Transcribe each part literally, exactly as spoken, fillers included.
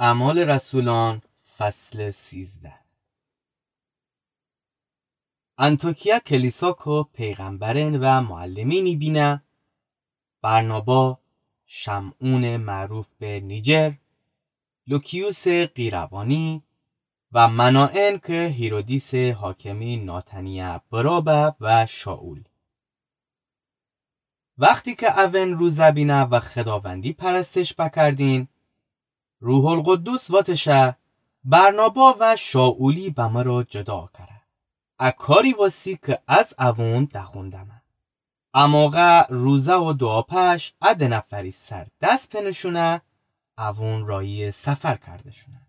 اعمال رسولان، فصل سیزده. انطاکیا کلیسا کو پیغمبرین و معلمینی بینه، برنابا، شمعون معروف به نیجر، لوکیوس قیروانی و منائن که هیرودیس حاکمی ناتنیا برابه و شائول. وختی که اون روزه بینه و خداوندی پرستش بکردین، روح‌القدس واتشه، برنابا و شائولی به مرا جدا کره. ا کاری واسی که از اون دخوندمه. ا موقع روزه و دوعا پش ا دو نفری سر دس پنشونه، اون رایی سفر کردشونه.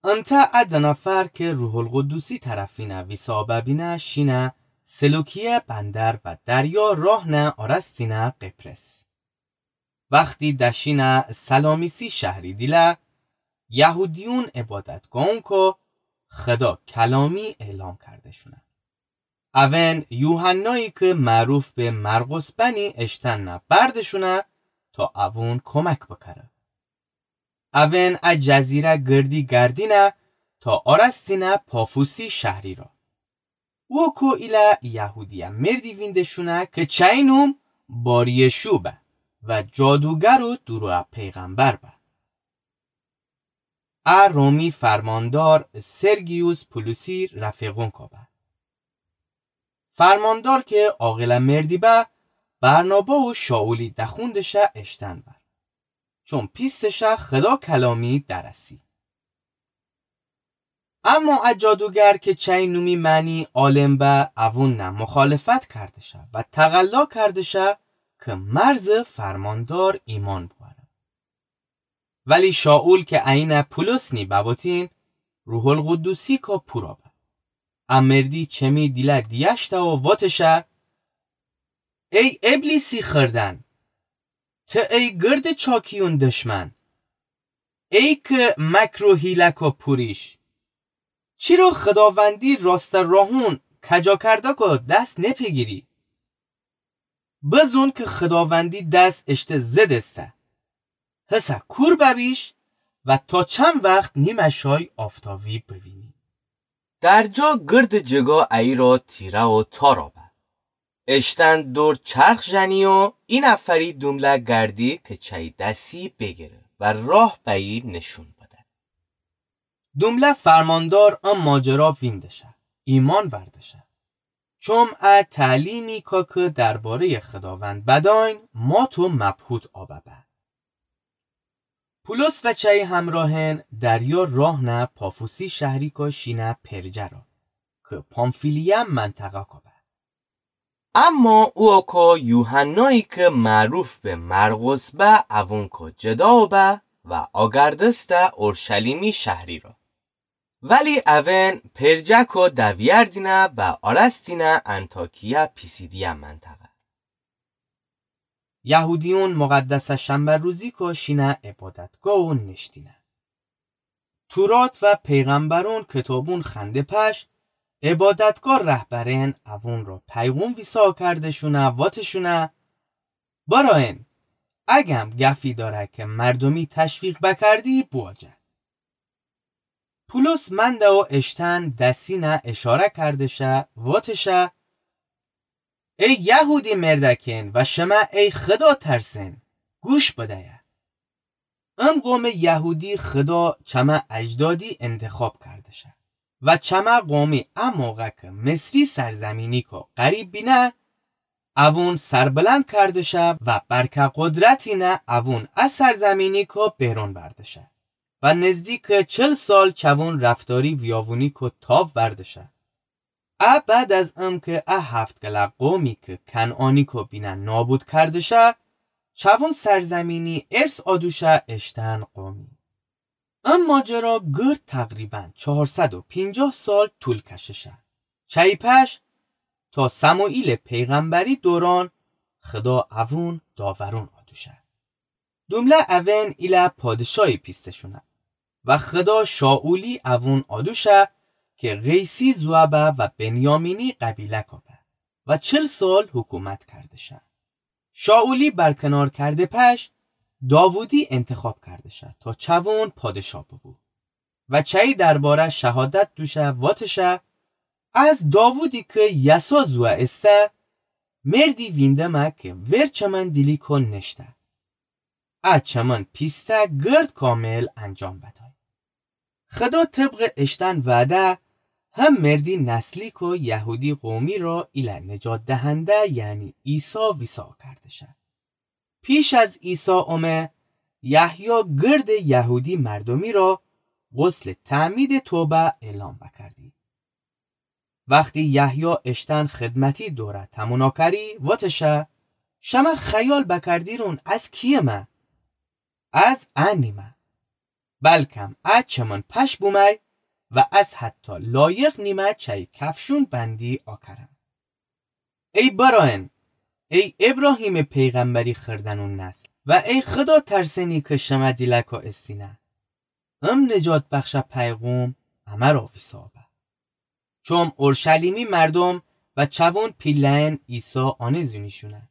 انته ا دو نفر که روح‌القدسی طرفینه ویسا ببینه شینه سلوکیه بندر و دریا راه نه آرستینه قبرس. وختی دشینه سلامیسی شهری دیله، یهودیون عبادتگاهون کو خدا کلامی اعلام کردشونه. اون یوحنایی که معروف به مرقس بنی اشتن نه بردشونه تا اون کمک بکره. اون ا جزیره گردی گردینه تا آرستینه پافوسی شهری را. و کو ایله یهودیه مردی ویندشونه که چی نوم باریشوع به و جادوگر و دروغ پیغمبر به. ا رومی فرماندار سرگیوس پولوسی رفیقون کو به. فرماندار که عاقله مردی به، برنابا و شائولی دخوندشه اشتن بر، چون پیستشه خدا کلامی درسی. اما ا جادوگر که چی نومی معنی عالم به، اون نه مخالفت کردشه و تقلا کردشه که مرز فرماندار ایمان بواره. ولی شائول که عینه پولس نی ببوتین، روح‌القدسی کو پورا به. ا مردی چمی دیله دیشته و واتشه: ای ابلیسی خردن، ته ای گرد چاکیون دشمن، ای که مکر و حیله کو پوریش، چیرو خداوندی راسته راهون کجا کرده کو دس نپیگیری؟ بزون که خداوندی دس اشته ضد استه. هسه کور ببیش و تا چند وخت نیمه شای آفتاوی بوینی؟ در جا گرد جگا ایرا تیره و تارا به. اشتن دور چرخ ژنی و ای نفری دومله گردی که چی دسی بیگیره و راه بئی نشون بده. دومله فرماندار ا ماجرا ویندشه، ایمان وردشه. چوم ا تعلیمی کا که دربارهٔ خداوند بداین، مات و مبهوت آبه به. پولس و چی همراهن دریا راه نه پافوسی شهری کا شینه پرجه را، که پامفیلیه منطقه کا به. اما او کو یوحنایی که معروف به مرقس به، اوون کو جدا به و آگردسته اورشلیمی شهری را. ولی اوون پرجه کو دویردینه و آرستینه انطاکیه پیسیدیه منطقه. یهودیون مقدس شنبه روزی کو شینه عبادتگاه و نشتینه. تورات و پیغمبرون کتابون خنده پش، عبادتگاه رهبرین اوون را پیغون ویسا کردشونه، واتشونه: برائن، اگم گفی داره که مردمی تشویق بکردی، بواجه. پولس منده و اشتن دسینه اشاره کردشه، واتشه: ای یهودی مردکین و شمه ای خدا ترسین، گوش بدیه. ام قوم یهودی خدا چمه اجدادی انتخاب کردشه و چمه قومی ا موقع که مصری سرزمینی کو غریب بینه، اوون سربلند کردشه و برکه قدرتینه اوون ا سرزمینی کو بیرون بردشه و نزدیک چل سال چوون رفتاری ویاوونی کو تاو وردشه. ا بعد از ام که ا هفت گله قومی که کنعانی کو بینه نابود کردشه، چوون سرزمینی ارث آدوشه اشتن قومی. ام ماجرا گرد تقریباً چهارصد و پنجاه سال طول کششه. چی پش تا سموئیل پیغمبری دوران خدا اوون داورون آدوشه. دومله اوون ایله پادشایی پیستشونه و خدا شائولی اوون آدوشه که قیسی زوه به و بنیامینی قبیله کا به و چل سال حکومت کردشه. شائولی برکنار کرده پش، داوودی انتخاب کرده‌شه تا چوون پادشاه ببو. و چی درباره شهادت دوشه واتشه، از داوودی کی یسا زوه ایسه، مردی ویندمه کی ورچمن دیلیکو نشته. ا چمن پیسته گرد کامل انجام بدای. خدا طبق اشتن وعده هم مردی نسلیکو یهودی قومی را ایله نجات دهنده یعنی عیسی ویسا کرده‌شه. پیش از عیسی اومه، یحیی گرد یهودی مردمی را غسل تعمید توبه اعلام بکردی. وختی یحیی اشتن خدمتی دوره تمونا کری واتشه، شمه خیال بکردیرون از کیمه؟ از ا نیمه. بلکم ا چمن پش بومی و از حتی لایق نیمه چی کفشون بندی آکرم. ای برایان، ای ابراهیم پیغمبری خردنون نسل و ای خدا ترسنی کی شمه دیلکو استینه، ام نجات بخش پیغوم امه را ویسا به. چوم اورشلیمی مردم و چوون پیله‌ان عیسی آنه زونیشونه.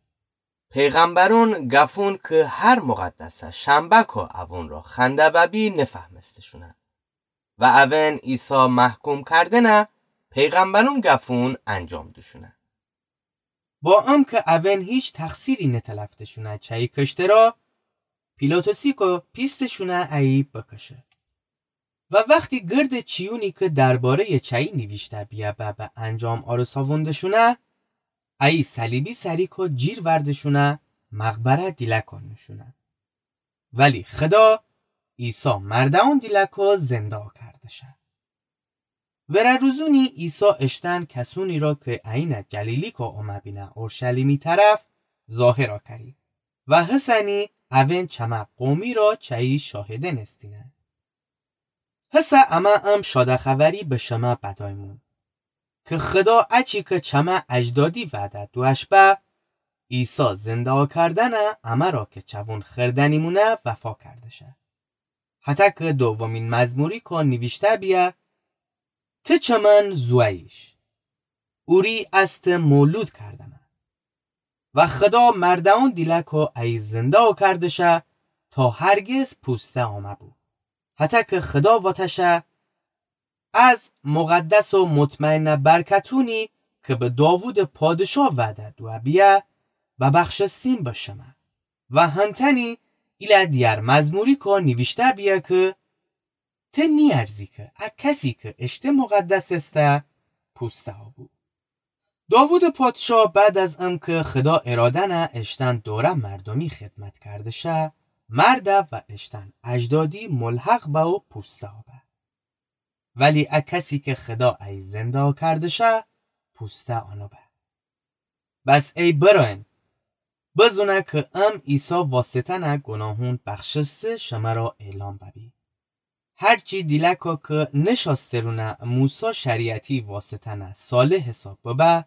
پیغمبرون گفون کی هر مقدسه شنبه‌کو اوون را خنده ببی نفهمستشونه. و اوین عیسی محکوم کردنه پیغمبرون گفون انجام دوشونه. با ام کی اوین هیچ تقصیری نتلفتشونه چی کشته را، پیلاطسی کو پیستشونه ایی بکشه. و وختی گرد چیونی کی درباره‌ی چی نیویشته بیه به به انجام آرساوندشونه، ایی صلیبی سری کو جیر وردشونه مقبره دیلکو نوشونه. ولی خدا عیسی مرده‌ون دیلکو زنده کردشه. وره روزونی عیسی اشتن کسونی را کی اینه جلیلیکو اومه بینه اورشلیمی طرف ظاهرا کری و هسنی اوین چمه قومی را چی شاهدن استینه. هسه امه ام شاده خبری به شمه بدایمون کی خدا اچی کی چمه اجدادی وعده دوش به، عیسی زنده کردنه امه را کی چوون خردنیمونه وفا کردشه. حتی کی دومین مزموری کو نیویشته بیه، ته چمن زوییش، اوری از ته مولود کردمه. و خدا مرده‌ون دیلکو ایی زنده کردشه تا هرگز پوسته آمه بو. حتی کی خدا واتشه، از مقدس و مطمئن برکتونی کی به داوود پادشاه وعده دوه بیه، ببخشستیم به شمه. و هنتنی ایله دیگر مزموری کو نیویشته بیه کی ته نیارزی کی ا کسی کی اشته مقدس استه پوسته بو. داوود پادشاه بعد از ام کی خدا ارادنه اشتن دوره مردمی خدمت کردشه، مرده و اشتن اجدادی ملحق به و پوسته به. ولی ا کسی کی خدا ای زنده کردشه، پوسته آنو به. بس ای برایان، بزونه کی ام عیسی واسطه‌نه گناهون بخشسته شمه را اعلام ببی. هرچی دیلکو کی نشاسترونه موسی شریعتی واسطه‌نه صالح حساب ببه،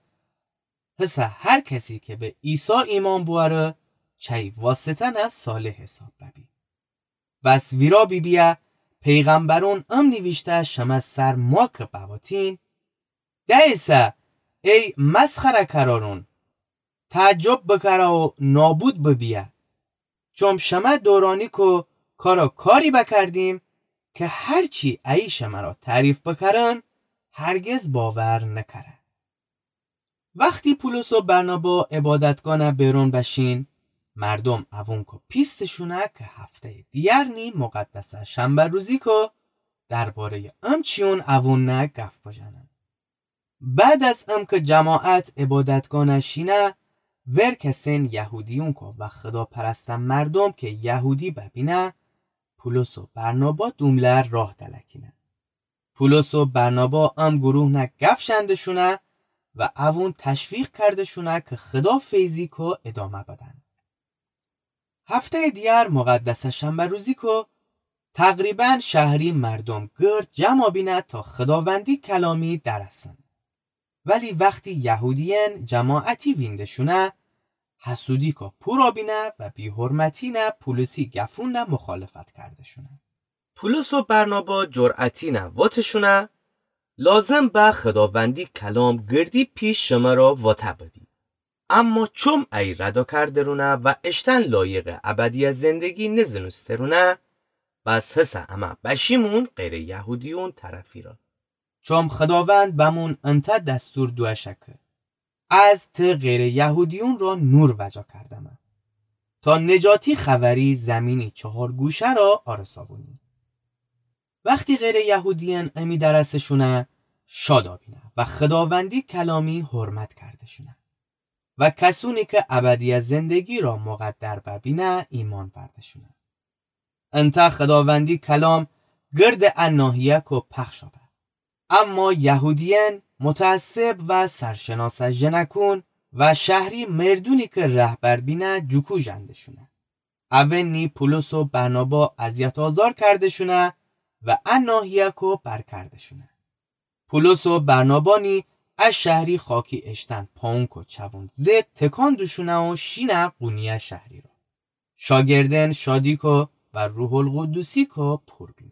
هسه هر کسی کی به عیسی ایمان بواره، چی واسطه‌نه صالح حساب ببی. بس ویرا بیبیه پیغمبرون ام نیویشته شمه سر ما کی بواتین، دئیسه ای مسخره کرارون، تعجب بکره و نابود ببیه. چوم شمه دورانیکو کارا کاری بکردیم کی هرچی ای شمه را تعریف بکرن، هرگز باور نکره. وختی پولس و برنابا عبادتگانه بیرون بشین، مردم اوونکو پیستشونه کی هفته‌ی دیگر نی مقدسه شنبه روزیکو درباره‌ی ام چیون اوون نه گف بجنن. بعد از ام کی جماعت عبادتگانه شینه، ورکسین یهودیونکو و خداپرسته مردم کی یهودی ببینه، پولس و برنابا دوملر راه دلکینه. پولس و برنابا ام گروه نه گف شندشونه و اوون تشویق کردشونه کی خدا فیضیکو ادامه بدن. هفته‌ی دیگر مقدسه شنبه روزیکو تقریباً شهری مردم گرد جمع بینه تا خداوندی کلامی درسن. ولی وختی یهودیین جماعتی وینده‌شونه، حسودیکو پورا بینه و بی‌حرمتی نه پولسی گفون نه مخالفت کرده‌شونه. پولس و برنابا جرأتی نه واتشونه، لازم به خداوندی کلام گردی پیش شمه را واته ببی. اما چوم ای ردأ کردرونه و اشتأن لایقٚ ابدیٚ زندگی نزنوسترونه، پس هسه امه بشیمون غیرٚ یهودیون طرفی را. چوم خوداوند بمون انتأ دستور دوأشه کی، از ته غیرٚ یهودیون را نور وجا کردمه، تا نجاتی خوأری زیمینی چهار گوشه را آرساوونی. وختی غیرٚ یهودیأن امی درسٚ شونه، شادأ بینه و خوداوندی کلامی حرمت کرده‌شونه و کسونی کی ابدیٚ زندگی را مقدر ببینه ایمأن ورده‌شونه. انتأ خوداوندی کلام گردٚ ا ناحیه‌کو پخشأ به. اما یهودیأن متعصب و سرشناسٚ ژنکون و شهری مردونی کی رهبر بینه جوکو ژنده‌شونه. اونی پولس و برنابا اذیت آزار کرده‌شونه و ا ناحیه‌کو بر کرده‌شونه. پولس و برنابا نی ا شهری خاکی اشتأن پاونکو چوون زد تکان دوشونه و شینه قونیه شهری را. شاگردأن شادیکو و روح‌القدوسیکو پور بینه.